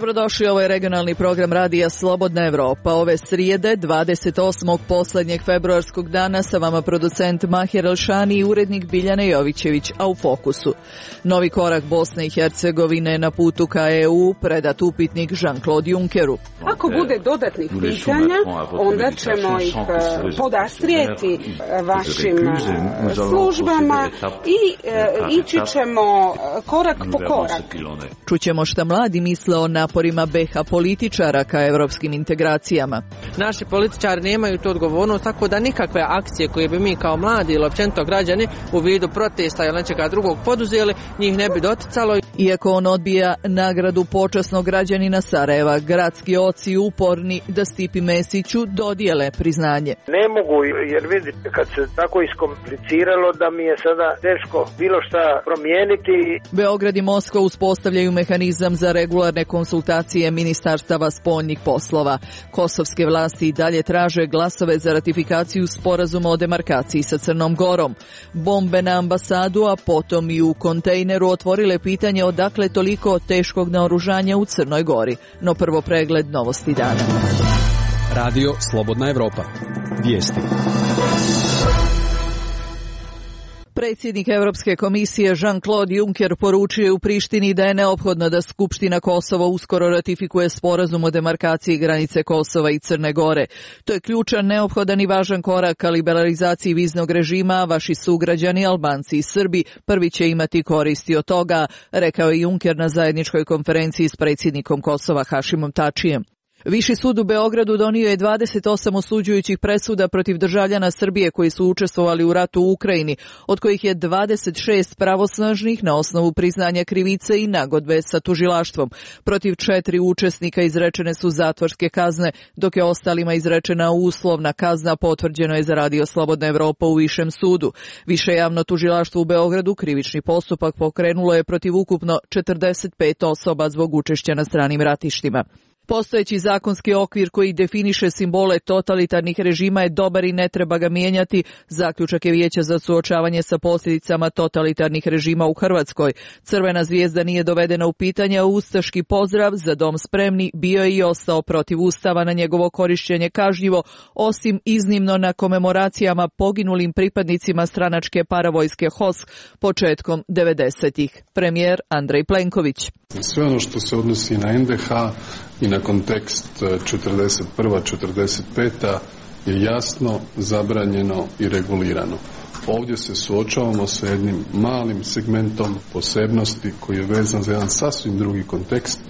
Dobrodošli, ovo je regionalni program Radija Slobodna Evropa. Ove srijede, 28. posljednjeg februarskog dana, sa vama producent Mahir Elšani i urednik Biljana Jovićević, a u fokusu. Novi korak Bosne i Hercegovine na putu ka EU, predat upitnik Jean-Claude Junckeru. Ako bude dodatnih pitanja, onda ćemo ih podastrijeti vašim službama i ići ćemo korak po korak. Čućemo šta mladi misle o naporima BiH političara ka evropskim integracijama. Naši političari nemaju tu odgovornost, tako da nikakve akcije koje bi mi kao mladi ili općenito građani u vidu protesta ili nečega drugog poduzeli, njih ne bi doticalo. Iako on odbija nagradu počasnog građanina Sarajeva, gradski oci uporni da Stipi Mesiću dodijele priznanje. Ne mogu, jer vidite, kad se tako iskompliciralo da mi je sada teško bilo šta promijeniti. Beograd i Moskva uspostavljaju mehanizam za regularne konsultacije ministarstava spoljnih poslova. Kosovske vlasti i dalje traže glasove za ratifikaciju sporazuma o demarkaciji sa Crnom Gorom. Bombe na ambasadu, a potom i u kontejneru otvorile pitanje odakle toliko teškog naoružanja u Crnoj Gori. No prvo pregled novosti dana. Radio Slobodna Evropa. Vijesti. Predsjednik Europske komisije Jean-Claude Juncker poručio u Prištini da je neophodno da Skupština Kosova uskoro ratifikuje sporazum o demarkaciji granice Kosova i Crne Gore. To je ključan, neophodan i važan korak ka liberalizaciji viznog režima, a vaši sugrađani Albanci i Srbi prvi će imati koristi od toga, rekao je Juncker na zajedničkoj konferenciji s predsjednikom Kosova Hašimom Tačijem. Viši sud u Beogradu donio je 28 osuđujućih presuda protiv državljana Srbije koji su učestvovali u ratu u Ukrajini, od kojih je 26 pravosnažnih na osnovu priznanja krivice i nagodbe sa tužilaštvom. Protiv 4 učesnika izrečene su zatvorske kazne, dok je ostalima izrečena uslovna kazna, potvrđeno je za Radio Slobodna Evropa u Višem sudu. Više javno tužilaštvo u Beogradu krivični postupak pokrenulo je protiv ukupno 45 osoba zbog učešća na stranim ratištima. Postojeći zakonski okvir koji definiše simbole totalitarnih režima je dobar i ne treba ga mijenjati, zaključak je Vijeća za suočavanje sa posljedicama totalitarnih režima u Hrvatskoj. Crvena zvijezda nije dovedena u pitanje, a ustaški pozdrav Za dom spremni bio je i ostao protiv Ustava, na njegovo korišćenje kažnjivo, osim iznimno na komemoracijama poginulim pripadnicima stranačke paravojske HOS početkom 90-ih. Premijer Andrej Plenković. Sve ono što se odnosi na NDH i na kontekst 41-45 je jasno, zabranjeno i regulirano. Ovdje se suočavamo sa jednim malim segmentom posebnosti koji je vezan za jedan sasvim drugi kontekst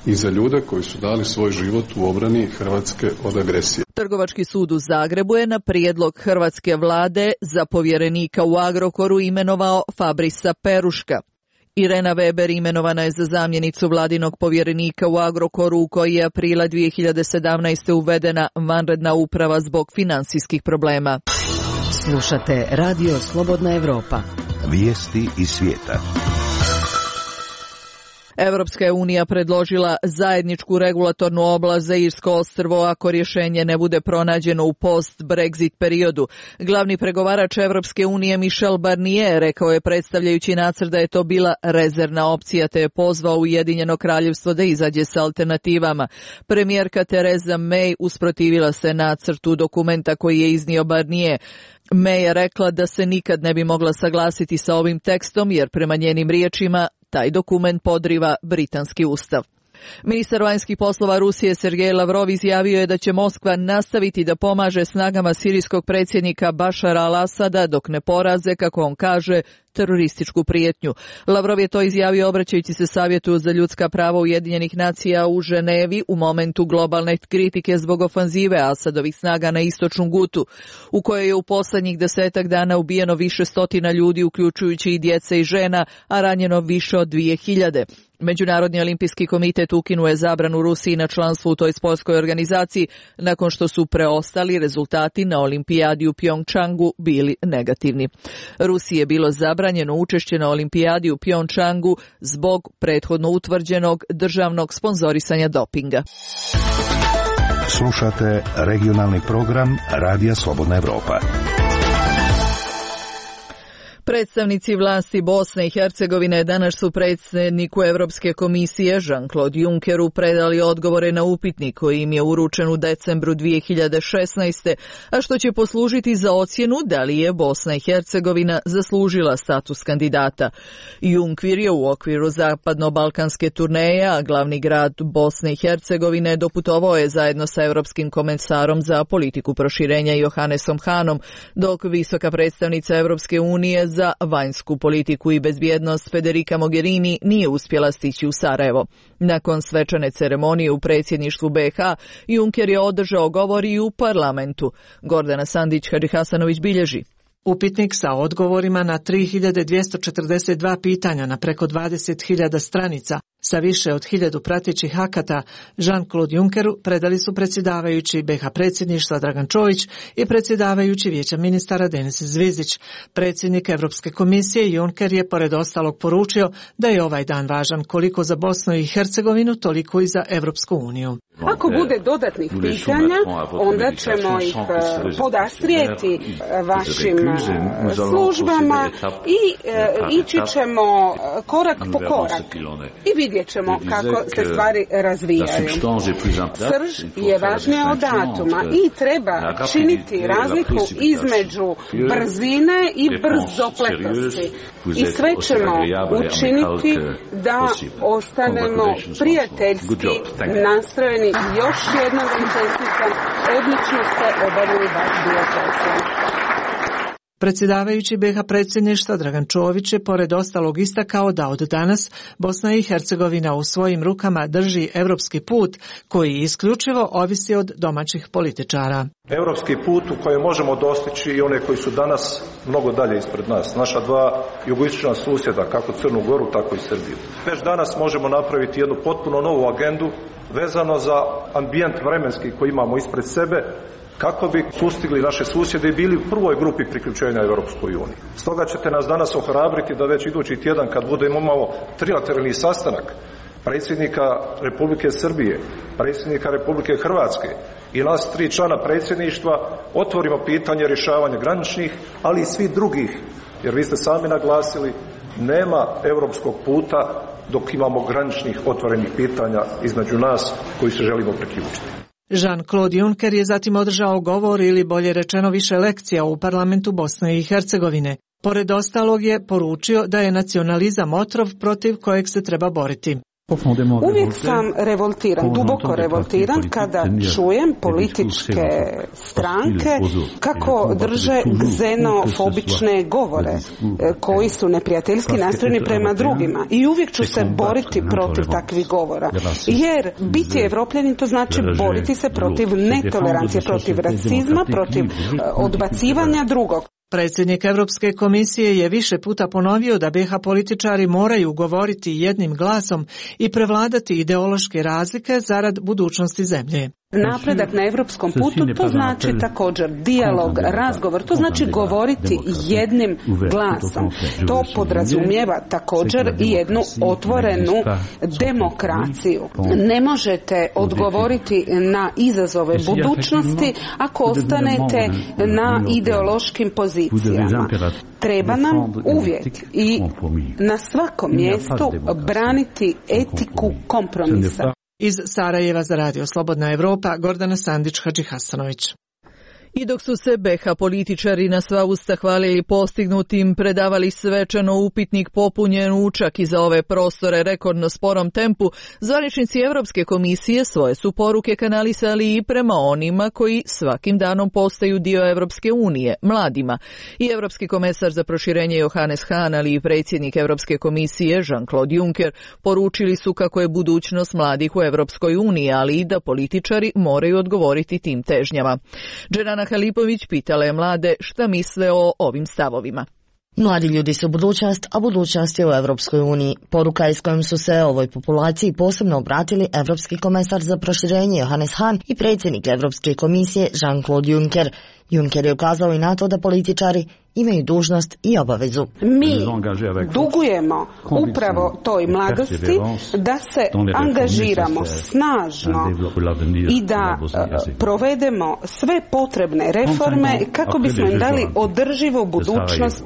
i za ljude koji su dali svoj život u obrani Hrvatske od agresije. Trgovački sud u Zagrebu je na prijedlog hrvatske vlade za povjerenika u Agrokoru imenovao Fabrisa Peruška. Irena Weber imenovana je za zamjenicu vladinog povjerenika u Agrokoru, u koji je aprila 2017. uvedena vanredna uprava zbog financijskih problema. Slušate Radio Slobodna Evropa. Vijesti iz svijeta. Europska je unija predložila zajedničku regulatornu oblast za Irsko ostrvo ako rješenje ne bude pronađeno u post-Brexit periodu. Glavni pregovarač Europske unije Michel Barnier rekao je predstavljajući nacrt da je to bila rezervna opcija, te je pozvao Ujedinjeno kraljevstvo da izađe sa alternativama. Premijerka Theresa May usprotivila se nacrtu dokumenta koji je iznio Barnier. May je rekla da se nikad ne bi mogla saglasiti sa ovim tekstom jer prema njenim riječima taj dokument podriva britanski ustav. Ministar vanjskih poslova Rusije Sergej Lavrov izjavio je da će Moskva nastaviti da pomaže snagama sirijskog predsjednika Bašara al-Asada dok ne poraze, kako on kaže, terorističku prijetnju. Lavrov je to izjavio obraćajući se Savjetu za ljudska prava Ujedinjenih nacija u Ženevi u momentu globalne kritike zbog ofanzive Asadovih snaga na istočnu Gutu, u kojoj je u posljednjih 10 dana ubijeno više stotina ljudi, uključujući i djece i žena, a ranjeno više od 2000. Međunarodni olimpijski komitet ukinuo je zabranu Rusiji na članstvo u toj sportskoj organizaciji nakon što su preostali rezultati na olimpijadi u Pjongčangu bili negativni. Rusiji je bilo zabranjeno učešće na olimpijadi u Pjongčangu zbog prethodno utvrđenog državnog sponzorisanja dopinga. Slušate regionalni program Radija Slobodna Evropa. Predstavnici vlasti Bosne i Hercegovine danas su predsjedniku Europske komisije Jean-Claude Junckeru predali odgovore na upitnik koji im je uručen u decembru 2016. a što će poslužiti za ocjenu da li je Bosna i Hercegovina zaslužila status kandidata. Juncker je u okviru zapadno-balkanske turneje, a glavni grad Bosne i Hercegovine doputovao je zajedno sa Europskim komesarom za politiku proširenja Johannesom Hahnom, dok visoka predstavnica Europske unije za vanjsku politiku i bezbjednost Federica Mogherini nije uspjela stići u Sarajevo. Nakon svečane ceremonije u predsjedništvu BiH, Juncker je održao govor i u parlamentu. Gordana Sandić-Hadžihasanović bilježi. Upitnik sa odgovorima na 3242 pitanja na preko 20.000 stranica sa više od 1000 pratećih akata Jean-Claude Junckeru predali su predsjedavajući BiH predsjedništva Dragan Čović i predsjedavajući Vijeća ministara Denis Zvizdić. Predsjednik Europske komisije Juncker je pored ostalog poručio da je ovaj dan važan koliko za Bosnu i Hercegovinu, toliko i za Europsku uniju. Ako bude dodatnih pitanja, onda ćemo ih podastrijeti vašim službama i ići ćemo korak po korak i vidjet ćemo kako se stvari razvijaju. Srž je važnija od datuma i treba činiti razliku između brzine i brzopletosti. I sve ćemo učiniti da ostanemo prijateljski nastrojeni. Još jednom vam čestitam, odlično ste obavili vaš dio posla. Predsjedavajući BiH predsjedništva Dragan Čović je pored ostalog istakao da od danas Bosna i Hercegovina u svojim rukama drži europski put koji isključivo ovisi od domaćih političara. Europski put u kojem možemo dostići i one koji su danas mnogo dalje ispred nas. Naša dva jugoistočna susjeda, kako Crnu Goru, tako i Srbiju. Već danas možemo napraviti jednu potpuno novu agendu vezano za ambijent vremenski koji imamo ispred sebe, kako bi sustigli naše susjede i bili u prvoj grupi priključenja Europskoj uniji. Stoga ćete nas danas ohrabriti da već idući tjedan, kad budemo imamo trilateralni sastanak predsjednika Republike Srbije, predsjednika Republike Hrvatske i nas 3 člana predsjedništva, otvorimo pitanje rješavanja graničnih, ali i svih drugih, jer vi ste sami naglasili, nema europskog puta dok imamo graničnih otvorenih pitanja između nas koji se želimo priključiti. Jean-Claude Juncker je zatim održao govor ili bolje rečeno više lekcija u parlamentu Bosne i Hercegovine. Pored ostalog je poručio da je nacionalizam otrov protiv kojeg se treba boriti. Uvijek sam revoltiran, duboko revoltiran kada čujem političke stranke kako drže xenofobične govore koji su neprijateljski nastrojeni prema drugima i uvijek ću se boriti protiv takvih govora. Jer biti Evropljanin to znači boriti se protiv netolerancije, protiv rasizma, protiv odbacivanja drugog. Predsjednik Europske komisije je više puta ponovio da BiH političari moraju govoriti jednim glasom i prevladati ideološke razlike zarad budućnosti zemlje. Napredak na europskom putu to znači također dijalog, razgovor, to znači govoriti jednim glasom. To podrazumijeva također i jednu otvorenu demokraciju. Ne možete odgovoriti na izazove budućnosti ako ostanete na ideološkim pozicijama. Treba nam uvijek i na svakom mjestu braniti etiku kompromisa. Iz Sarajeva za Radio Slobodna Evropa, Gordana Sandić-Hadžihasanović. I dok su se BiH političari na sva usta hvalili postignutim, predavali svečano upitnik popunjen čak i za ove prostore rekordno sporom tempu, zvaničnici Europske komisije svoje su poruke kanalisali i prema onima koji svakim danom postaju dio Europske unije, mladima. I Europski komesar za proširenje Johannes Hahn, ali i predsjednik Europske komisije Jean-Claude Juncker poručili su kako je budućnost mladih u Europskoj uniji, ali i da političari moraju odgovoriti tim težnjama. Dženana Halipović pitala je mlade šta misle o ovim stavovima. Mladi ljudi su budućnost, a budućnost je u Europskoj uniji. Poruka iz kojom su se ovoj populaciji posebno obratili Europski komesar za proširenje Johannes Hahn i predsjednik Europske komisije Jean-Claude Juncker. Juncker je ukazao i na to da političari imaju dužnost i obavezu. Mi dugujemo upravo toj mladosti da se angažiramo snažno i da provedemo sve potrebne reforme kako bismo im dali održivu budućnost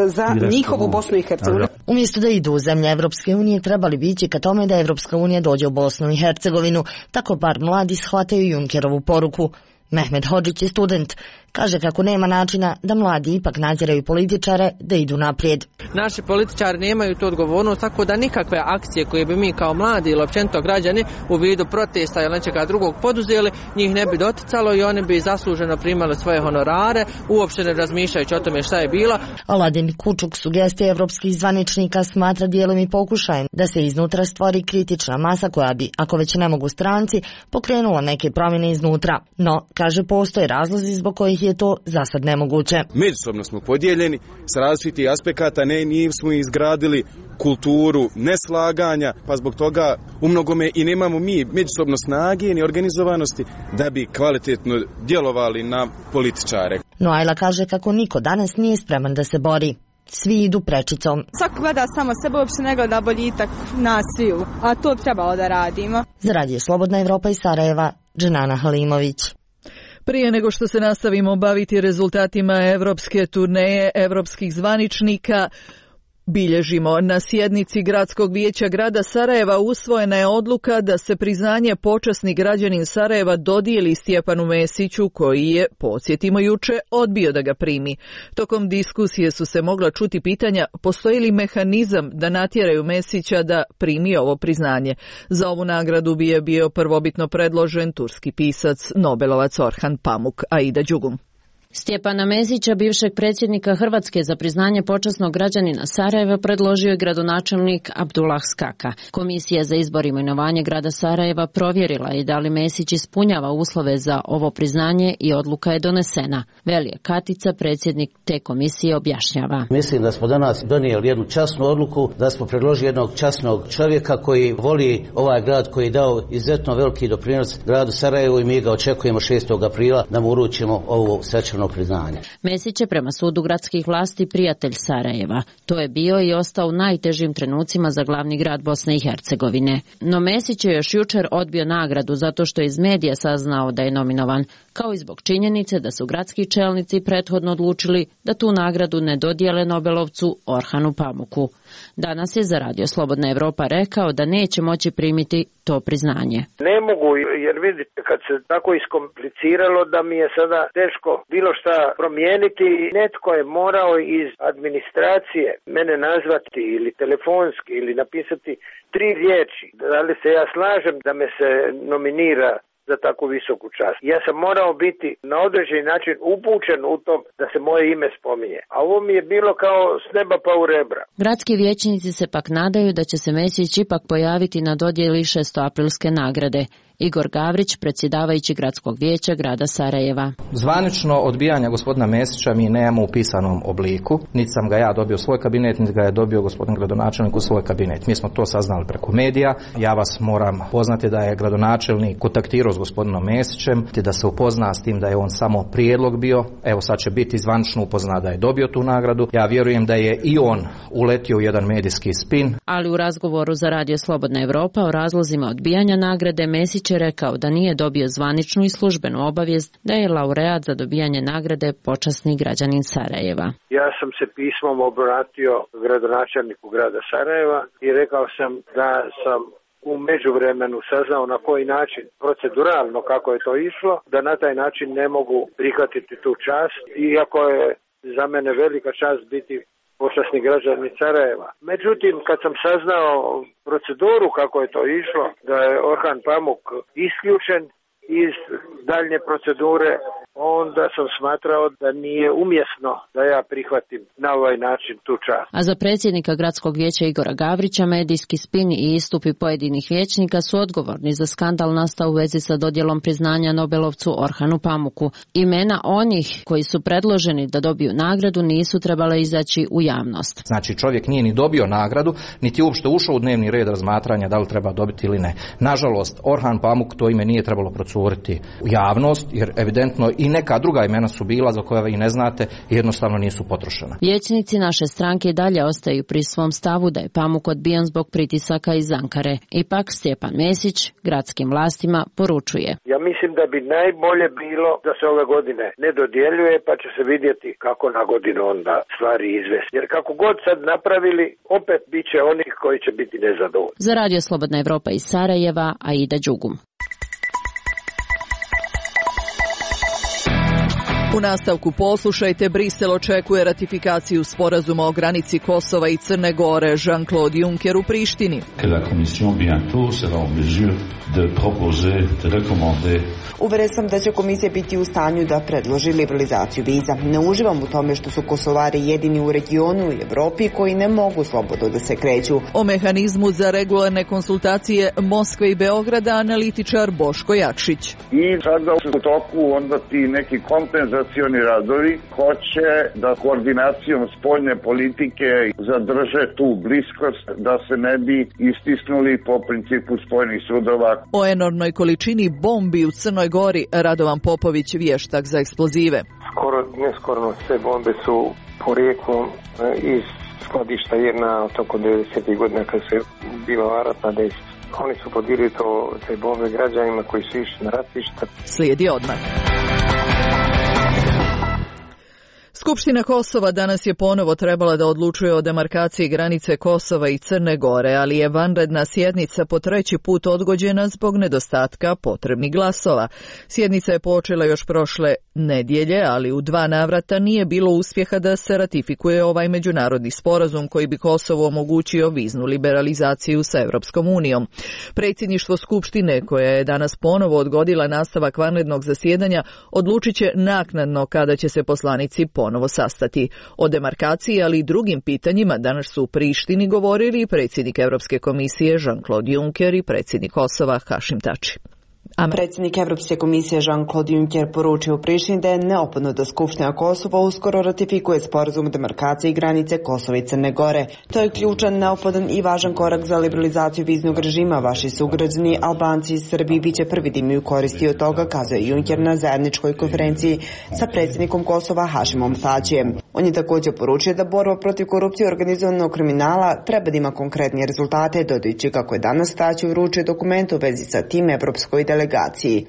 za njihovu Bosnu i Hercegovinu. Umjesto da idu u zemlje Evropske unije, trebali bi ići ka tome da Evropska unija dođe u Bosnu i Hercegovinu, tako bar mladi shvataju Junckerovu poruku. Mehmet Hodžić je student. Kaže kako nema načina da mladi ipak nadziraju političare da idu naprijed. Naši političari nemaju tu odgovornost, tako da nikakve akcije koje bi mi kao mladi ili općenito građani u vidu protesta ili nečega drugog poduzeli, njih ne bi doticalo i oni bi zasluženo primali svoje honorare, uopšte ne razmišljajući o tome šta je bilo. Aladin Kučuk sugestije evropskih zvaničnika smatra dijelom i pokušajem da se iznutra stvori kritična masa koja bi, ako već ne mogu stranci, pokrenula neke promjene iznutra. No, kaže, postoje razlozi zbog kojih je to za sad nemoguće. Međusobno smo podijeljeni s različitih aspekata, nismo izgradili kulturu neslaganja, pa zbog toga u mnogome i nemamo mi međusobno snage ni organizovanosti da bi kvalitetno djelovali na političare. No Ajla kaže kako niko danas nije spreman da se bori. Svi idu prečicom. Svako gleda samo sebe, uopšte ne gleda boljitak nas sviju, a to bi trebalo da radimo. Za Radio Slobodna Evropa iz Sarajeva, Dženana Halimović. Prije nego što se nastavimo baviti rezultatima evropske turneje evropskih zvaničnika, bilježimo. Na sjednici Gradskog vijeća grada Sarajeva usvojena je odluka da se priznanje počasni građanin Sarajeva dodijeli Stjepanu Mesiću, koji je, podsjetimo juče, odbio da ga primi. Tokom diskusije su se mogla čuti pitanja postoji li mehanizam da natjeraju Mesića da primi ovo priznanje. Za ovu nagradu bi je bio prvobitno predložen turski pisac, Nobelovac Orhan Pamuk. Aida Đugum. Stjepana Mesića, bivšeg predsjednika Hrvatske za priznanje počasnog građanina Sarajeva, predložio je gradonačelnik Abdullah Skaka. Komisija za izbor i imenovanje grada Sarajeva provjerila je da li Mesić ispunjava uslove za ovo priznanje i odluka je donesena. Velije Katica, predsjednik te komisije, objašnjava. Mislim da smo danas donijeli jednu časnu odluku, da smo predložili jednog časnog čovjeka koji voli ovaj grad, koji je dao izuzetno veliki doprinos gradu Sarajevu i mi ga očekujemo 6. aprila da mu uručimo ovu svečanu priznanje. Mesić je prema sudu gradskih vlasti prijatelj Sarajeva. To je bio i ostao u najtežim trenucima za glavni grad Bosne i Hercegovine. No Mesić je još jučer odbio nagradu zato što je iz medija saznao da je nominovan, kao i zbog činjenice da su gradski čelnici prethodno odlučili da tu nagradu ne dodijele Nobelovcu Orhanu Pamuku. Danas je za Radio Slobodna Evropa rekao da neće moći primiti to priznanje. Ne mogu, jer vidite, kad se tako iskompliciralo da mi je sada teško bilo šta promijeniti, netko je morao iz administracije mene nazvati ili telefonski ili napisati 3 riječi. Da li se ja slažem da me se nominira za takvu visoku čast. Ja sam morao biti na određeni način upućen u to da se moje ime spominje. A ovo mi je bilo kao s neba pa u rebra. Gradski vijećnici se pak nadaju da će se Mesić ipak pojaviti na dodjeli 600-aprilske nagrade. Igor Gavrić, predsjedavajući Gradskog vijeća grada Sarajeva. Zvanično odbijanja gospodina Mesića mi nemamo u pisanom obliku. Niti sam ga ja dobio u svoj kabinet, niti ga je dobio gospodin gradonačelnik u svoj kabinet. Mi smo to saznali preko medija. Ja vas moram poznati da je gradonačelnik kontaktirao s gospodinom Mesićem, da se upozna s tim da je on samo prijedlog bio. Evo sad će biti zvanično upozna da je dobio tu nagradu. Ja vjerujem da je i on uletio u jedan medijski spin. Ali u razgovoru za Radio Slobodna Evropa o razlozima odbijanja nagrade Mesić je rekao da nije dobio zvaničnu i službenu obavijest da je laureat za dobijanje nagrade počasni građanin Sarajeva. Ja sam se pismom obratio gradonačelniku grada Sarajeva i rekao sam da sam u međuvremenu saznao na koji način, proceduralno kako je to išlo, da na taj način ne mogu prihvatiti tu čast, iako je za mene velika čast biti počasni građanin Sarajeva. Međutim, kad sam saznao proceduru kako je to išlo, da je Orhan Pamuk isključen iz daljnje procedure, onda sam smatrao da nije umjesno da ja prihvatim na ovaj način tu čast. A za predsjednika Gradskog vijeća Igora Gavrića medijski spin i istupi pojedinih vijećnika su odgovorni za skandal nastao u vezi sa dodjelom priznanja Nobelovcu Orhanu Pamuku. Imena onih koji su predloženi da dobiju nagradu nisu trebale izaći u javnost. Znači čovjek nije ni dobio nagradu, niti uopšte ušao u dnevni red razmatranja da li treba dobiti ili ne. Nažalost, Orhan Pamuk to ime nije trebalo procuriti u javnost, jer evidentno i i neka druga imena su bila za koja vi ne znate i jednostavno nisu potrošena. Vijećnici naše stranke dalje ostaju pri svom stavu da je Pamuk odbijan zbog pritisaka iz Ankare. Ipak Stjepan Mesić gradskim vlastima poručuje. Ja mislim da bi najbolje bilo da se ove godine ne dodjeljuje, pa će se vidjeti kako na godinu onda stvari izvesti. Jer kako god sad napravili, opet bit će onih koji će biti nezadovoljni. Za Radio Slobodna Evropa iz Sarajeva, Aida Đugum. U nastavku poslušajte, Brisel očekuje ratifikaciju sporazuma o granici Kosova i Crne Gore. Jean-Claude Juncker u Prištini. Uveren sam da će komisija biti u stanju da predloži liberalizaciju viza. Ne uživam u tome što su Kosovari jedini u regionu i Evropi koji ne mogu slobodno da se kreću. O mehanizmu za regularne konsultacije Moskve i Beograda analitičar Boško Jakšić. I sada u toku onda ti neki kompenzacioni radovi hoće da koordinacijom spoljne politike zadrže tu bliskost da se ne bi istisnuli po principu spojenih sudova. O enormnoj količini bombi u Crnoj Gori Radovan Popović, vještak za eksplozive. Skoro sve bombe su porijeklom iz skladišta jedna od toko 90. godina kad se bila ratna dejstva. Oni su podirili te bombe građanima koji su išli na ratišta. Slijedi odmah. Skupština Kosova danas je ponovo trebala da odlučuje o demarkaciji granice Kosova i Crne Gore, ali je vanredna sjednica po treći put odgođena zbog nedostatka potrebnih glasova. Sjednica je počela još prošle nedjelje, ali u 2 navrata nije bilo uspjeha da se ratifikuje ovaj međunarodni sporazum koji bi Kosovu omogućio viznu liberalizaciju sa Europskom unijom. Predsjedništvo Skupštine, koja je danas ponovo odgodila nastavak vanrednog zasjedanja, odlučit će naknadno kada će se poslanici ponovo sastati. O demarkaciji, ali i drugim pitanjima danas su u Prištini govorili predsjednik Europske komisije Jean-Claude Juncker i predsjednik Kosova Hašim Tači. Predsjednik Europske komisije Jean-Claude Juncker poručio u Prištini da je neophodno da Skupština Kosova uskoro ratifikuje sporazum o demarkaciji granice Kosova i Crne Gore. To je ključan, neophodan i važan korak za liberalizaciju viznog režima. Vaši sugrađani Albanci iz Srbiji biće prvi da imaju koristi od toga, kazuje Juncker na zajedničkoj konferenciji sa predsjednikom Kosova Hašimom Tačijem. On je također poručio da borba protiv korupcije i organizovanog kriminala treba da ima konkretnije rezultate, dodajući kako je danas Tači uručio dokument u vezi sa tim evropskoj delegaciji.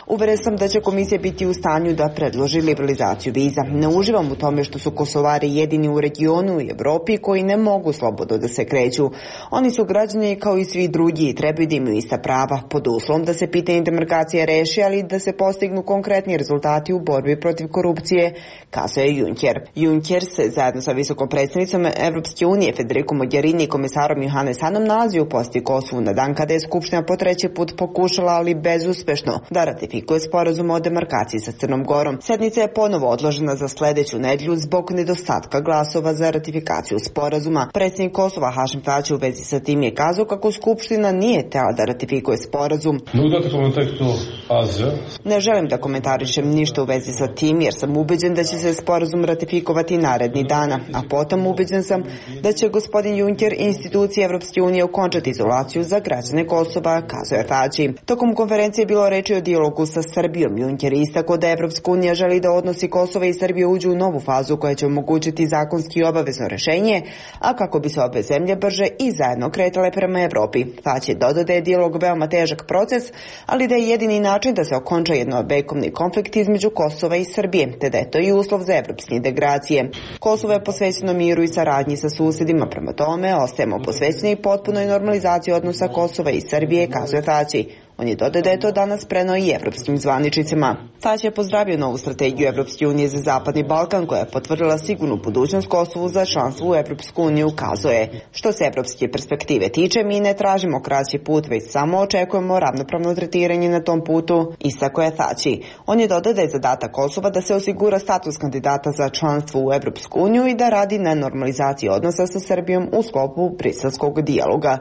Uveren sam da će komisija biti u stanju da predloži liberalizaciju viza. Ne uživam u tome što su Kosovari jedini u regionu i Evropi koji ne mogu slobodno da se kreću. Oni su građani kao i svi drugi i trebaju da imaju ista prava, pod uslovom da se pitanje demarkacije reši, ali da se postignu konkretni rezultati u borbi protiv korupcije, kazuje Juncker. Juncker se zajedno sa visokom predstavnicom Evropske unije Federico Mogherini i komisarom Johannes Hanom nalazi u posjeti Kosovu na dan kada je Skupština po treći put pokušala, ali bezuspešno, da ratifikuje sporazum o demarkaciji sa Crnom Gorom. Sjednica je ponovo odložena za sljedeću nedjelju zbog nedostatka glasova za ratifikaciju sporazuma. Predsjednik Kosova Hašim Tači u vezi sa tim je kazao kako Skupština nije htjela da ratifikuje sporazum. Ne želim da komentarišem ništa u vezi sa tim jer sam ubeđen da će se sporazum ratifikovati naredni dana, a potom ubeđen sam da će gospodin Juncker i institucije Evropske unije okončati izolaciju za građane Kosova, kazuje Tači. Tokom konferencije je bilo reči o dijalogu sa Srbijom. Juncker je istakao da Evropska unija želi da odnosi Kosova i Srbije uđu u novu fazu koja će omogućiti zakonski obavezno rješenje, a kako bi se obe zemlje brže i zajedno kretale prema Evropi. Tači je dodao da je dijalog veoma težak proces, ali da je jedini način da se okonča jednovekovni konflikt između Kosova i Srbije, te da je to i uslov za evropske integracije. Kosovo je posvećeno miru i saradnji sa susjedima, prema tome ostajemo posvećeni i potpunoj normalizaciji odnosa Kosova i Srbije, kazuje Tači. On je dodao da je to danas preneo i evropskim zvaničnicima. Tači je pozdravio novu strategiju Evropske unije za Zapadni Balkan koja je potvrdila sigurnu budućnost Kosovu za članstvo u Evropsku uniju, kazuje. Što se evropske perspektive tiče, mi ne tražimo kraći put, već samo očekujemo ravnopravno tretiranje na tom putu, istakao je Tači. On je dodao da je zadatak Kosova da se osigura status kandidata za članstvo u Evropsku uniju i da radi na normalizaciji odnosa sa Srbijom u sklopu briselskog dijaloga.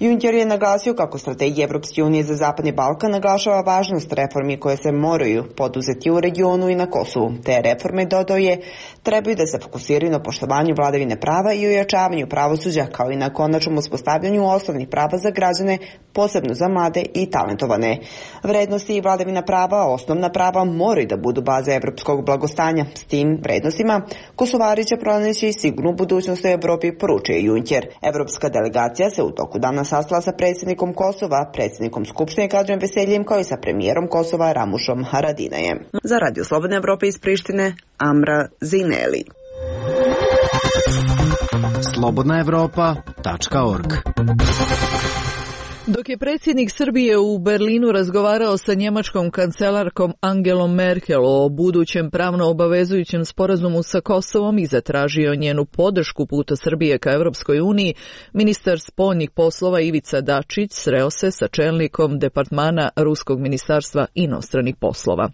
Juncker je naglasio kako strategija Evropske unije za Zapadni Balkan naglašava važnost reformi koje se moraju poduzeti u regionu i na Kosovu. Te reforme, dodao je, trebaju da se fokusiraju na poštovanju vladavine prava i ojačavanju pravosuđa, kao i na konačnom uspostavljanju osnovnih prava za građane, posebno za mlade i talentovane. Vrednosti i vladavina prava, osnovna prava, moraju da budu baze evropskog blagostanja. S tim vrednostima Kosovari će pronaći sigurnu budućnost u Evropi, poručuje Juncker. Evropska delegacija se u toku dana sastala sa predsjednikom Kosova, predsjednikom Skupštine Kadrijem Veseljem, kao i sa premijerom Kosova Ramušom Haradinajem. Za Radio Slobodne Evrope iz Prištine, Amra Zineli. slobodnaevropa.org. Dok je predsjednik Srbije u Berlinu razgovarao sa njemačkom kancelarkom Angelom Merkel o budućem pravno obavezujućem sporazumu sa Kosovom i zatražio njenu podršku puta Srbije ka Europskoj uniji, ministar spoljnih poslova Ivica Dačić sreo se sa čelnikom departmana Ruskog ministarstva inostranih poslova.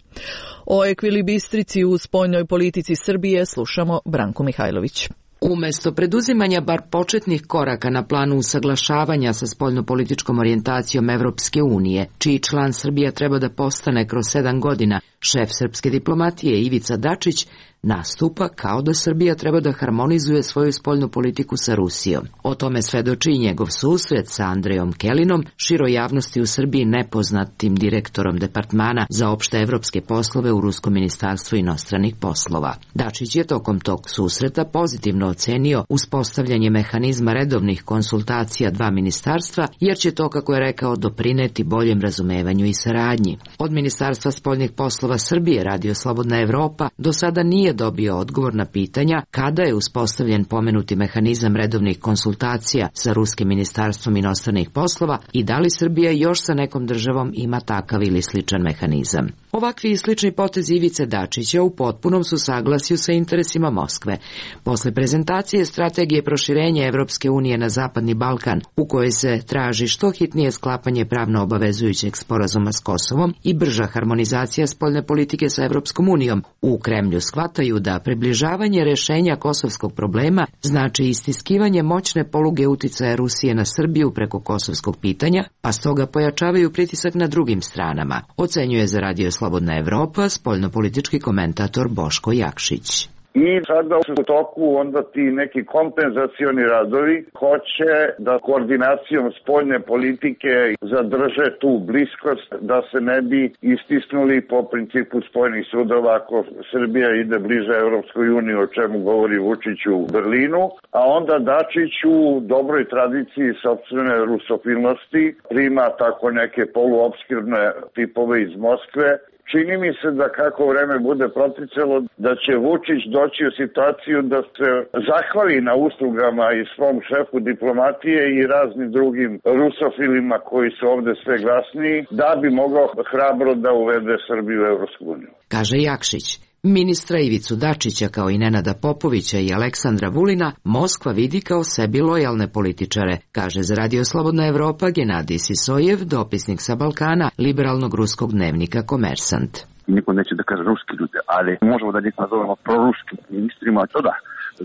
O ekvilibristrici u spoljnoj politici Srbije slušamo Branku Mihajlović. Umesto preduzimanja bar početnih koraka na planu usaglašavanja sa spoljnopolitičkom orijentacijom Evropske unije, čiji član Srbija treba da postane kroz 7 godina, šef srpske diplomatije Ivica Dačić nastupa kao da Srbija treba da harmonizuje svoju spoljnu politiku sa Rusijom. O tome svedoči i njegov susret sa Andrejom Kelinom, široj javnosti u Srbiji nepoznatim direktorom departmana za opšte evropske poslove u Ruskom ministarstvu inostranih poslova. Dačić je tokom tog susreta pozitivno ocenio uspostavljanje mehanizma redovnih konsultacija dva ministarstva, jer će to, kako je rekao, doprineti boljem razumevanju i saradnji. Od Ministarstva spoljnih poslova Srbije, Radio Slobodna Evropa, do sada nije dobio odgovor na pitanja kada je uspostavljen pomenuti mehanizam redovnih konsultacija sa Ruskim ministarstvom inostranih poslova i da li Srbija još sa nekom državom ima takav ili sličan mehanizam. Ovakvi i slični potezi Ivice Dačića u potpunom su saglasju sa interesima Moskve. Posle prezentacije strategije proširenja Evropske unije na Zapadni Balkan, u kojoj se traži što hitnije sklapanje pravno obavezujućeg sporazuma s Kosovom i brža harmonizacija spoljne politike sa Evropskom unijom, u Kremlju shvataju da približavanje rešenja kosovskog problema znači istiskivanje moćne poluge uticaja Rusije na Srbiju preko kosovskog pitanja, pa stoga pojačavaju pritisak na drugim stranama, ocenjuje za Radio Slobodna Evropa spoljnopolitički komentator Boško Jakšić. I sada u toku onda ti neki kompenzacioni radovi hoće da koordinacijom spoljne politike zadrže tu bliskost, da se ne bi istisnuli po principu spojenih sudova ako Srbija ide bliže Evropskoj uniji, o čemu govori Vučić u Berlinu, a onda Dačić u dobroj tradiciji sopstvene rusofilnosti prima tako neke poluopskirne tipove iz Moskve. Čini mi se da kako vreme bude proticalo, da će Vučić doći u situaciju da se zahvali na uslugama i svom šefu diplomatije i raznim drugim rusofilima koji su ovde sve glasniji, da bi mogao hrabro da uvede Srbiju u Evropsku uniju. Kaže Jakšić. Ministra Ivicu Dačića kao i Nenada Popovića i Aleksandra Vulina Moskva vidi kao sebi lojalne političare, kaže za Radio Slobodna Evropa Genadij Sisojev, dopisnik sa Balkana liberalnog ruskog dnevnika Komersant. Niko neće da kaže ruski ljudi, ali možemo da njih nazovemo proruskim ministrima, to da,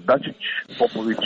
Dačić, Popović,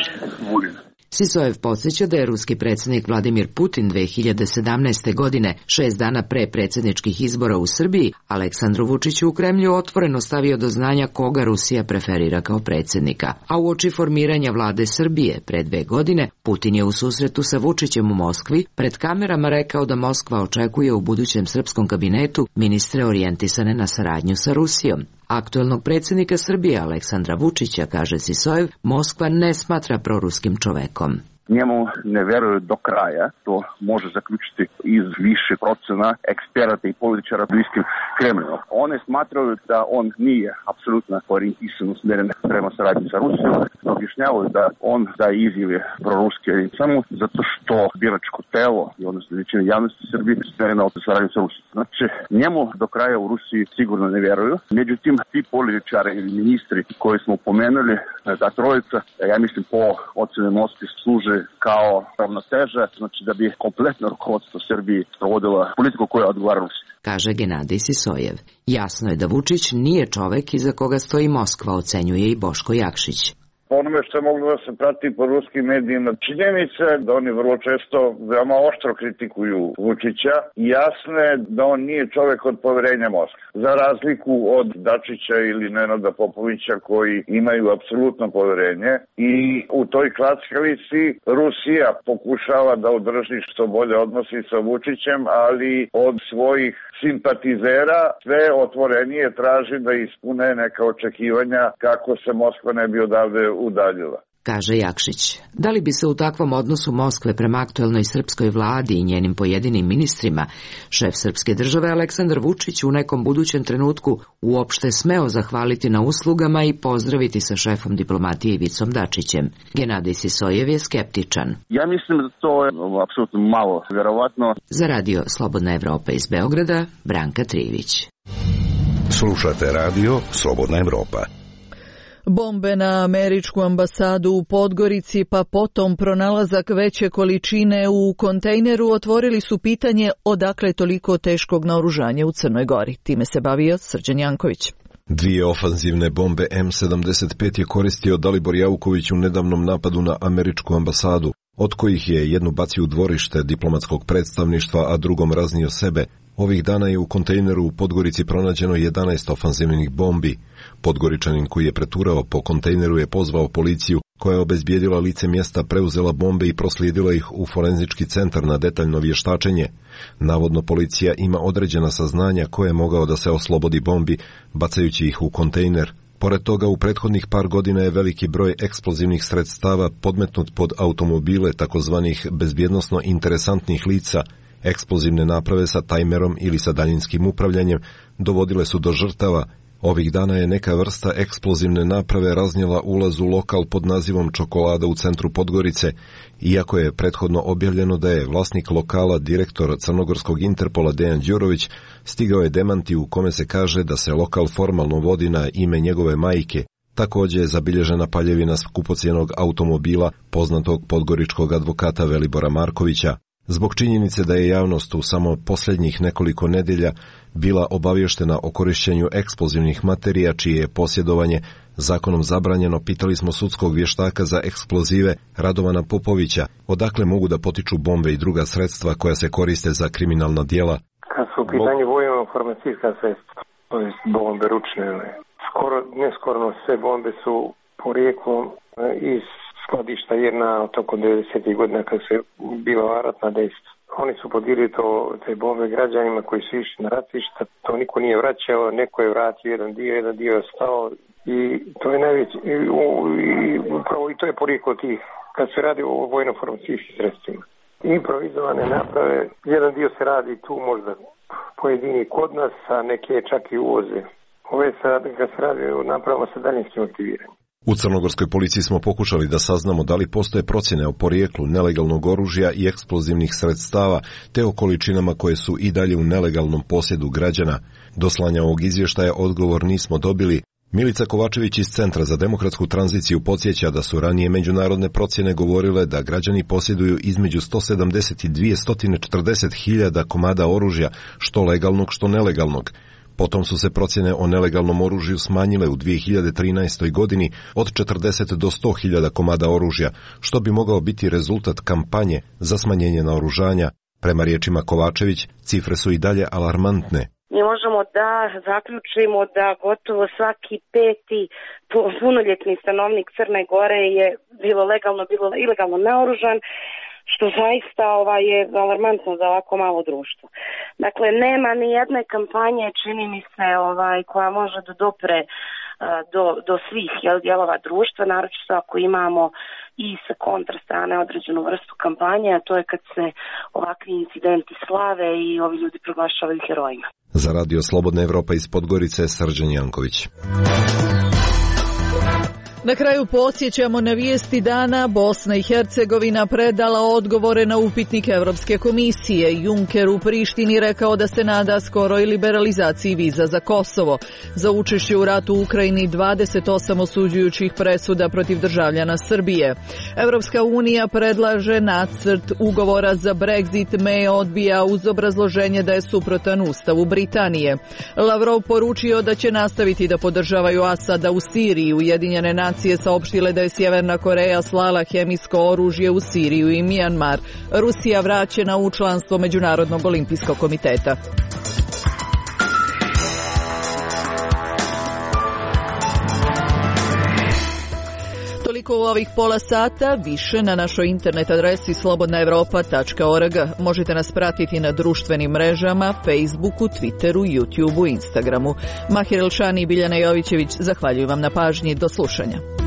Vulin. Sisojev podsjeća da je ruski predsjednik Vladimir Putin 2017. godine, 6 dana pre predsjedničkih izbora u Srbiji, Aleksandru Vučiću u Kremlju otvoreno stavio do znanja koga Rusija preferira kao predsjednika. A uoči formiranja vlade Srbije pre 2 godine, Putin je u susretu sa Vučićem u Moskvi pred kamerama rekao da Moskva očekuje u budućem srpskom kabinetu ministre orijentisane na saradnju sa Rusijom. Aktuelnog predsjednika Srbije Aleksandra Vučića, kaže Sisojev, Moskva ne smatra proruskim čovekom. Njemu ne veruju do kraja, to može zaključiti iz više procena eksperata i političara bliskim Kremlju. One smatraju da on nije apsolutno orijentisan usmjeren prema saradnji sa Rusijom, objašnjavaju da on daje izjave proruske samo zato što biračko telo i odnosno većina javnosti u Srbiji usmjerena od saradnje sa Rusijom. Znači, njemu do kraja u Rusiji sigurno ne vjeruju. Međutim, ti političari ili ministri koji smo pomenuli, ta trojica, ja mislim po ocjeni Moskve služe kao ravnoteža, znači da bi kompletno rukovodstvo Srbije provodilo politiku koja odgovara Rusiji. Kaže Genadij Sisojev. Jasno je da Vučić nije čovek iza koga stoji Moskva, ocenjuje i Boško Jakšić. po onome što je moglo da se prati po ruskim medijima. Činjenica je da oni vrlo često veoma oštro kritikuju Vučića i jasno je da on nije čovek od poverenja Moskve. Za razliku od Dačića ili Nenada Popovića koji imaju apsolutno poverenje i u toj klackalici Rusija pokušava da održi što bolje odnosi sa Vučićem, ali od svojih simpatizera sve otvorenije traži da ispune neka očekivanja kako se Moskva ne bi odavde udaljila. Kaže Jakšić. Da li bi se u takvom odnosu Moskve prema aktuelnoj srpskoj vladi i njenim pojedinim ministrima šef srpske države Aleksandar Vučić u nekom budućem trenutku uopšte smeo zahvaliti na uslugama i pozdraviti sa šefom diplomatije Ivicom Dačićem? Genadij Sisojev je skeptičan. Ja mislim da to je apsolutno malo vjerovatno. Za radio Slobodna Evropa iz Beograda, Branka Trivić. Slušate radio Slobodna Evropa. Bombe na američku ambasadu u Podgorici pa potom pronalazak veće količine u kontejneru otvorili su pitanje odakle toliko teškog naoružanja u Crnoj Gori. Time se bavio Srđan Janković. 2 ofanzivne bombe M75 je koristio Dalibor Jauković u nedavnom napadu na američku ambasadu, od kojih je jednu bacio u dvorište diplomatskog predstavništva, a drugom raznio sebe. Ovih dana je u kontejneru u Podgorici pronađeno 11 ofanzivnih bombi. Podgoričanin koji je preturao po kontejneru je pozvao policiju, koja je obezbijedila lice mjesta, preuzela bombe i proslijedila ih u forenzički centar na detaljno vještačenje. Navodno policija ima određena saznanja ko je mogao da se oslobodi bombi, bacajući ih u kontejner. Pored toga, u prethodnih par godina je veliki broj eksplozivnih sredstava podmetnut pod automobile takozvanih bezbjednosno interesantnih lica. Eksplozivne naprave sa tajmerom ili sa daljinskim upravljanjem dovodile su do žrtava. Ovih dana je neka vrsta eksplozivne naprave raznijela ulaz u lokal pod nazivom Čokolada u centru Podgorice, iako je prethodno objavljeno da je vlasnik lokala, direktor crnogorskog Interpola Dejan Đurović, stigao je demanti u kome se kaže da se lokal formalno vodi na ime njegove majke. Također je zabilježena paljevina skupocjenog automobila poznatog podgoričkog advokata Velibora Markovića. Zbog činjenice da je javnost u samo posljednjih nekoliko nedjelja bila obavještena o korištenju eksplozivnih materija čije je posjedovanje zakonom zabranjeno, pitali smo sudskog vještaka za eksplozive Radovana Popovića odakle mogu da potiču bombe i druga sredstva koja se koriste za kriminalna djela. Kad su u pitanju vojno-informacijska sredstva, to je bombe ručne, skoro sve bombe su porijeklom iz skladišta jedna tokom 90. godina kad se bila ratna dejstva. Oni su podirili te bombe građanima koji su išli na ratišta, to niko nije vraćao, neko je vratio jedan dio je ostao i to je najveći, upravo i to je porijeklo tih, kad se radi o vojno-informacijskim sredstvima. Improvizovane naprave, jedan dio se radi tu možda pojedini kod nas, a neke čak i uvoze. Ove kad se radi o napravama sa daljinskim aktiviranjem. U crnogorskoj policiji smo pokušali da saznamo da li postoje procjene o porijeklu nelegalnog oružja i eksplozivnih sredstava, te o količinama koje su i dalje u nelegalnom posjedu građana. Do slanja ovog izvještaja odgovor nismo dobili. Milica Kovačević iz Centra za demokratsku tranziciju podsjeća da su ranije međunarodne procjene govorile da građani posjeduju između 170 i 240 hiljada komada oružja, što legalnog, što nelegalnog. Potom su se procjene o nelegalnom oružju smanjile u 2013. godini od 40 do 100 hiljada komada oružja, što bi mogao biti rezultat kampanje za smanjenje naoružanja. Prema riječima Kovačević, cifre su i dalje alarmantne. Mi možemo da zaključimo da gotovo svaki 5. punoljetni stanovnik Crne Gore je bilo legalno, bilo ilegalno naoružan, što zaista je alarmantno za ovako malo društvo. Dakle, nema ni jedne kampanje, čini mi se, koja može da dopre do svih dijelova društva, naročito ako imamo i sa kontra strane određenu vrstu kampanje, a to je kad se ovakvi incidenti slave i ovi ljudi proglašavaju herojima. Za radio Slobodna Evropa iz Podgorice, Srđan Janković. Na kraju podsjećamo na vijesti dana. Bosna i Hercegovina predala odgovore na upitnik Evropske komisije. Juncker u Prištini rekao da se nada skoroj liberalizaciji viza za Kosovo. Za učešće u ratu u Ukrajini 28 osuđujućih presuda protiv državljana Srbije. Evropska unija predlaže nacrt ugovora za Brexit. May odbija uz obrazloženje da je suprotan Ustavu Britanije. Lavrov poručio da će nastaviti da podržavaju Asada u Siriji. Ujedinjene nacije nacije saopštile da je Sjeverna Koreja slala hemijsko oružje u Siriju i Mijanmar. Rusija vraćena u članstvo Međunarodnog olimpijskog komiteta. Toliko u ovih pola sata, više na našoj internet adresi slobodnaevropa.org. Možete nas pratiti na društvenim mrežama, Facebooku, Twitteru, YouTubeu, Instagramu. Mahir Elšani i Biljana Jovićević zahvaljuju vam na pažnji. Do slušanja.